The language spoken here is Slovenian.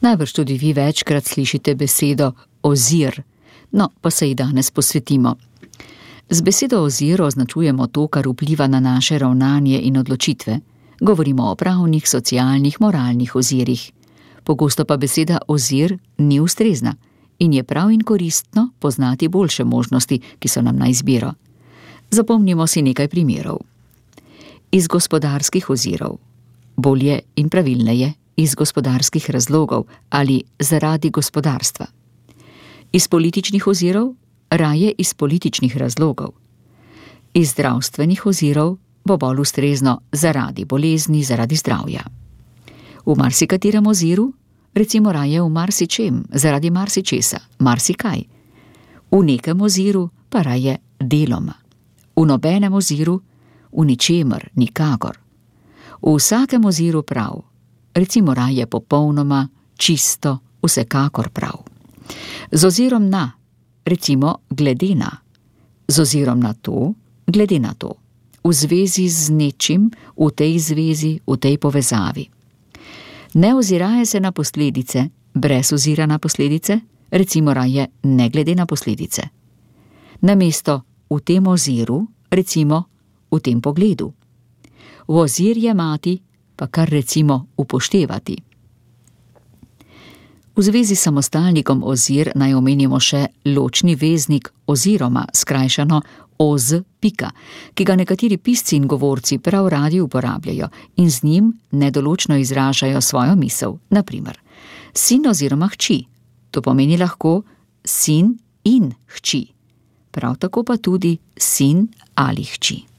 Najbrž tudi vi večkrat slišite besedo ozir, no pa se ji danes posvetimo. Z besedo ozir označujemo to, kar vpliva na naše ravnanje in odločitve. Govorimo o pravnih, socialnih, moralnih ozirih. Pogosto pa beseda ozir ni ustrezna in je prav in koristno poznati boljše možnosti, ki so nam na izbiro. Zapomnimo si nekaj primerov. Iz gospodarskih ozirov, bolje in pravilneje iz gospodarskih razlogov ali zaradi gospodarstva. Iz političnih ozirov, raje iz političnih razlogov. Iz zdravstvenih ozirov bo bolj ustrezno zaradi bolezni, zaradi zdravja. V marsikaterem oziru, recimo raje v marsičem, zaradi marsičesa, marsikaj. V nekem oziru pa raje deloma. V nobenem oziru, v ničemer, nikakor. V vsakem oziru prav, recimo raje popolnoma, čisto, vsekakor prav. Z ozirom na, recimo glede na. Z ozirom na to, glede na to. V zvezi z nečim, v tej zvezi, v tej povezavi. Ne oziraje se na posledice, brez ozira na posledice, recimo raje ne glede na posledice. Namesto v tem oziru, recimo v tem pogledu. V ozir jemati, pa kar recimo upoštevati. V zvezi s samostalnikom ozir naj omenimo še ločni veznik oziroma, skrajšano oz, pika, ki ga nekateri pisci in govorci prav radi uporabljajo in z njim nedoločno izražajo svojo misel. Naprimer, sin oziroma hči, to pomeni lahko sin in hči, prav tako pa tudi sin ali hči.